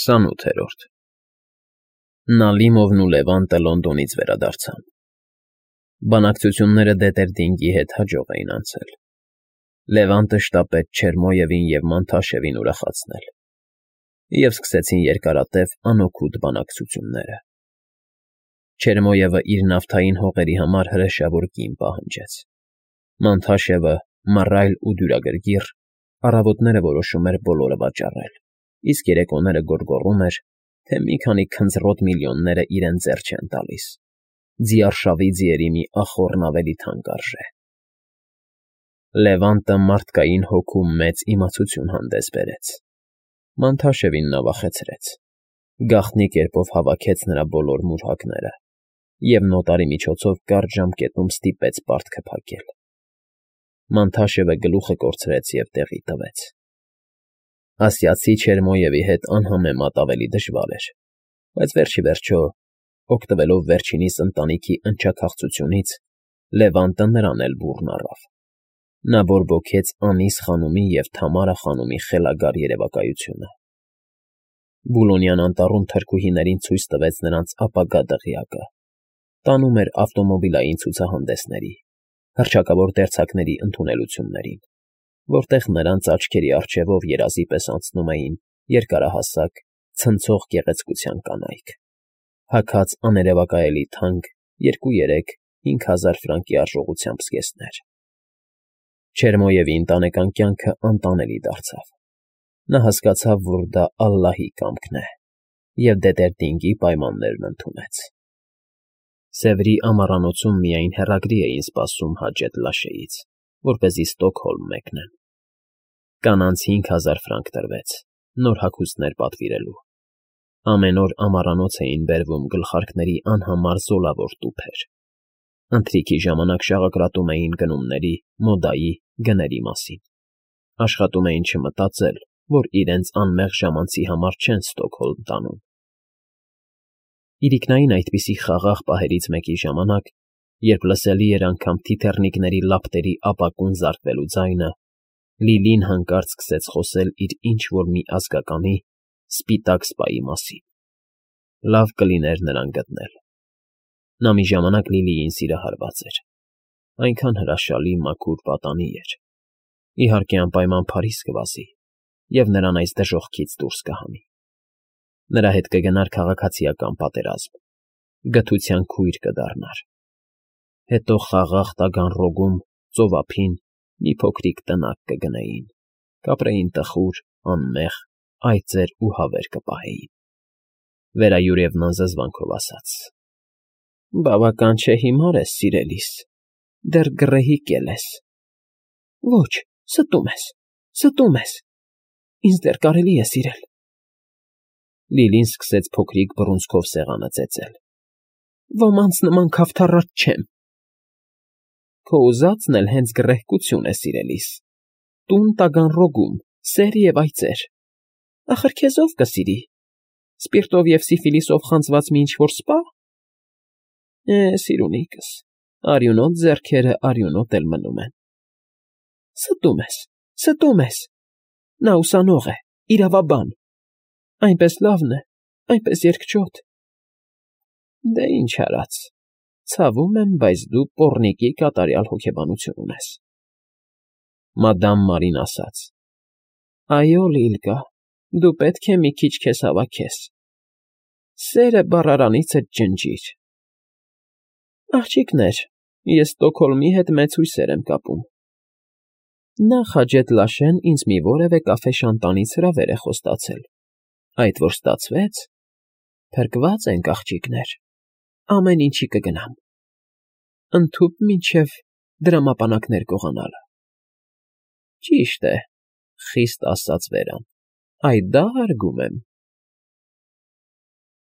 28-րդ Նալիմովն ու Լևանտը Լոնդոնից վերադարձան։ Բանակցությունները Դետերդինգի հետ հաջող էին անցել։ Լևանտը շտապեց Չերմոյևին և Մանթաշևին ուրախացնել, և սկսեցին երկարատև անօգուտ բանակցությունները։ Չերմոյևը իր նավթային հողերի համար հրեշավոր գին պահանջեց։ Մանթաշևը, մռայլ ու դյուրագրգիռ, առավոտները որոշում էր բոլորը վաճառել, իսկ երեկոները գոռգոռում էր, թե մի քանի քնձռոտ միլիոնները իրեն ձեռ չեն տալիս, ձիարշավի ձիերի մի ախոռն ավելի թանկ արժե։ Լևանտը մարդկային հոգու մեծ իմացություն հանդես բերեց։ Մանթաշևին նա վախեցրեց, գաղտնի կերպով հավաքեց նրա բոլոր մուրհակները և նոտարի միջոցով կարճ ժամկետում ստիպեց պարտքը փակել։ Մանթաշևը գլուխը կորցրեց և տեղի տվեց։ Ասիացի Չերմոյևի հետ անհամեմատ ավելի դժվար էր, բայց վերջիվերջո, օգտվելով վերջինիս ընտանիքի ընչաքաղցությունից, Լևանտը նրան էլ բուռն առավ։ Նա բորբոքեց Անիս խանումի և Թամարա խանումի խելագար երևակայությունը։ Բուլոնյան անտառում թրքուհիներին ցույց տվեց նրանց ապագա դղյակը, տանում էր ավտոմոբիլային ցուցահանդեսների, հռչակավոր դերձակների ընդունելություններին, որտեղ նրանց աչքերի առջևով երազի պես անցնում էին երկարահասակ, ցնցող գեղեցկության կանայք, հագած աներևակայելի թանկ 2-3-5 հազար ֆրանկի արժողությամբ զգեստներ։ Չերմոյևի ընտանեկան կյանքը անտանելի դարձավ։ Նա հասկացավ, որ դա ալլահի կամքն է, և Դետերդինգի պայմաններն ընդունեց։ Սևրի ամառանոցում միայն հեռագրի էին սպասում Հաջեթ Լաշեից, որպեսզի Ստոկհոլմ մեկնեն։ Կանանց 5 հազար ֆրանկ տրվեց, նոր հագուստներ պատվիրելու։ Ամեն օր ամառանոց էին բերվում գլխարկների անհամար զոլավոր տուփեր։ Ընթրիքի ժամանակ շաղակրատում էին գնումների, մոդայի, գների մասին։ Աշխատում էին չմտածել, որ իրենց անմեղ ժամանցի համար չեն Ստոկհոլմ տանում։ Իրիկնային այդպիսի խաղաղ պահերից մեկի ժամանակ, երբ լսելի էր անգամ թիթեռնիկների լապտերի ապակուն զարկվելու ձայնը, Լիլին հանկարծ սկսեց խոսել իր ինչ֊որ մի ազգականի՝ սպիտակ սպայի մասին։ Լավ կլիներ նրան գտնել։ Նա մի ժամանակ Լիլիին սիրահարված էր։ Այնքան հրաշալի, մաքուր պատանի էր։ Իհարկե, անպայման Փարիզ կվազի և նրան այս դժոխքից դուրս կհանի։ Նրա հետ կգնար քաղաքացիական պատերազմ, գթության քույր կդառնար։ Հետո խաղաղ Տագանրոգում, ծովափին, մի փոքրիկ տնակ կգնեին, կապրեին տխուր, անմեղ, այծեր ու հավեր կպահեին։ Վերայուրևն անզզվանքով ասաց. Բավական չէ հիմար ես, սիրելիս, դեռ գռեհիկ էլ ես։ Ոչ, ստում ես, ինձ դեռ կարելի է սիրել։ Լիլին սկսեց փոքրիկ բռունցքով սեղանը ծեծել։ Ոմանց նման քավթառած չեմ։ Քո ուզածն էլ հենց գռեհկություն է, սիրելիս։ Տուն Տագանրոգում, սեր և այծեր։ Ախր քեզ ով կսիրի։ Սպիրտով և սիֆիլիսով խանձված մի ինչ֊որ սպա։ Սիրունիկս, արյունոտ ձեռքերը արյունոտ էլ մնում են։ Ստում ես։ Նա ուսանող է, իրավաբան։ Այնպես լավն է, այնպես երկճոտ։ Դե ինչ արած, ցավում եմ, բայց դու պոռնիկի կատարյալ հոգեբանություն ունես։ Մադամ Մարին ասաց. Այո, Լիլկա, դու պետք է մի քիչ քեզ հավաքես։ Սերը բառարանիցդ ջնջիր։ Աղջիկներ, ես Ստոկհոլմի հետ մեծ հույսեր եմ կապում։ Նախ Հաջեթ Լաշեն ինձ մի որևէ կաֆե֊շանտանից հրավեր է խոստացել, այդ որ ստացվեց, փրկված ենք, աղջիկներ, ամեն ինչի կգնամ, ընդհուպ մինչև դրամապանակներ գողանալը։ Ճիշտ է, խիստ ասաց Վերան, այդ դա հարգում եմ։